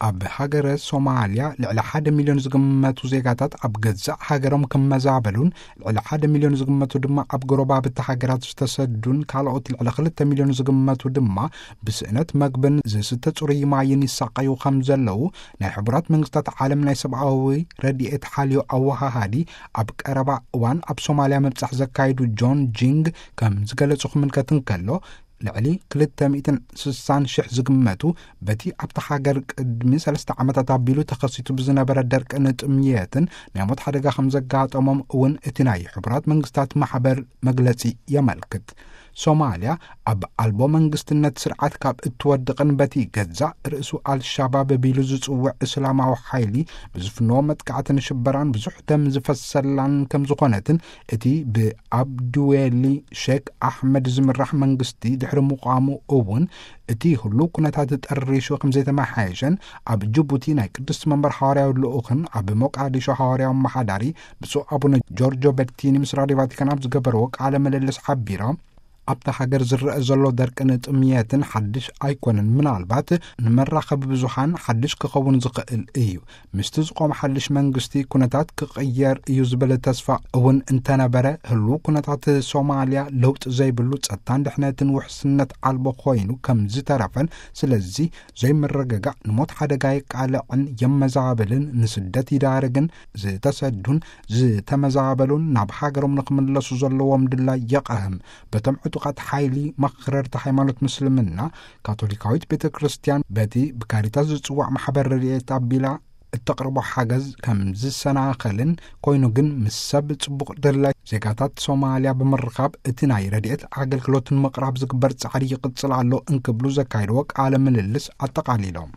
ኣብ ሃገረ ሶማልያ ልዕሊ ሓደ ሚልዮን ዝግመቱ ዜጋታት ኣብ ገዛእ ሃገሮም ክመዛበሉን፣ ልዕሊ ሓደ ሚልዮን ዝግመቱ ድማ ኣብ ጎረባብቲ ሃገራት ዝተሰዱን፣ ካልኦት ልዕሊ ክልተ ሚልዮን ዝግመቱ ድማ ብስእነት መግብን ዝስተ ጽሩይ ማይን ይሳቐዩ ከም ዘለዉ፣ ናይ ሕቡራት መንግስታት ዓለም ናይ ሰብኣዊ ረድኤት ሓልዮ ኣወሃሃዲ፣ ኣብ ቀረባ እዋን ኣብ ሶማልያ ምብጻሕ ዘካይዱ ጆን ጂንግ ከም ዝገለጹ ክምልከት እንከሎ፣ ልዕሊ ክልተ ሚእትን ስሳን ሽሕ ዝግመቱ በቲ ኣብታ ሃገር ቅድሚ ሰለስተ ዓመታት ኣቢሉ ተኸሲቱ ብዝነበረ ደርቅን ጥምየትን ናይ ሞት ሓደጋ ከም ዘጋጠሞም እውን እቲ ናይ ሕቡራት መንግስታት ማሕበር መግለጺ የመልክት። ሶማልያ ኣብ ኣልቦ መንግስትነት ስርዓት ካብ እትወድቕን በቲ ገዛእ ርእሱ ኣልሻባብ ቢሉ ዝጽውዕ እስላማዊ ሓይሊ ብዝፍንዎ መጥቃዕትን ሽበራን ብዙሕ ደም ዝፈሰላን ከም ዝኾነትን፣ እቲ ብኣብድዌሊ ሼክ ኣሕመድ ዝምራሕ መንግስቲ ድሕሪ ምቋሙ እውን እቲ ህሉው ኩነታት ጠሪሹ ከም ዘይተመሓየሸን ኣብ ጅቡቲ ናይ ቅድስቲ መንበር ሃዋርያዊ ልኡኽን ኣብ ሞቃዲሾ ሃዋርያዊ ኣመሓዳሪ ብፁዕ ኣቡነ ጆርጆ በርቲኒ ምስ ራድዮ ቫቲካን ኣብ ዝገበርዎ ቃለ ምልልስ ሓቢሮም፣ ኣብታ ሃገር ዝረአ ዘሎ ደርቅን ጥምየትን ሓድሽ ኣይኮነን። ምናልባት ንመራኸቢ ብዙሃን ሓድሽ ክኸውን ዝኽእል እዩ። ምስቲ ዝቆመ ሓድሽ መንግስቲ ኩነታት ክቕየር እዩ ዝብል ተስፋ እውን እንተነበረ፣ ህሉው ኩነታት ሶማልያ ለውጢ ዘይብሉ ጸጥታን ድሕነትን ውሕስነት ኣልቦ ኮይኑ ከም ዝተረፈን፣ ስለዚ ዘይምርግጋእ ንሞት ሓደጋ የቃልዕን የመዛብልን፣ ንስደት ይዳርግን፣ ዝተሰዱን ዝተመዛበሉን ናብ ሃገሮም ንክምለሱ ዘለዎም ድላይ የቐህም። በቶም ዕጡቓት ሓይሊ መኽረርቲ ሃይማኖት ምስልምና፣ ካቶሊካዊት ቤተ ክርስቲያን በቲ ብካሪታስ ዝጽዋዕ ማሕበር ረድኤት ኣቢላ እተቕርቦ ሓገዝ ከም ዝሰናኸልን፣ ኮይኑ ግን ምስ ሰብ ጽቡቕ ድላይ ዜጋታት ሶማልያ ብምርኻብ እቲ ናይ ረድኤት ኣገልግሎት ንምቕራብ ዝግበር ጻዕሪ ይቕጽል ኣሎ እንክብሉ ዘካየድዎ ቃለ ምልልስ ኣጠቓሊሎም።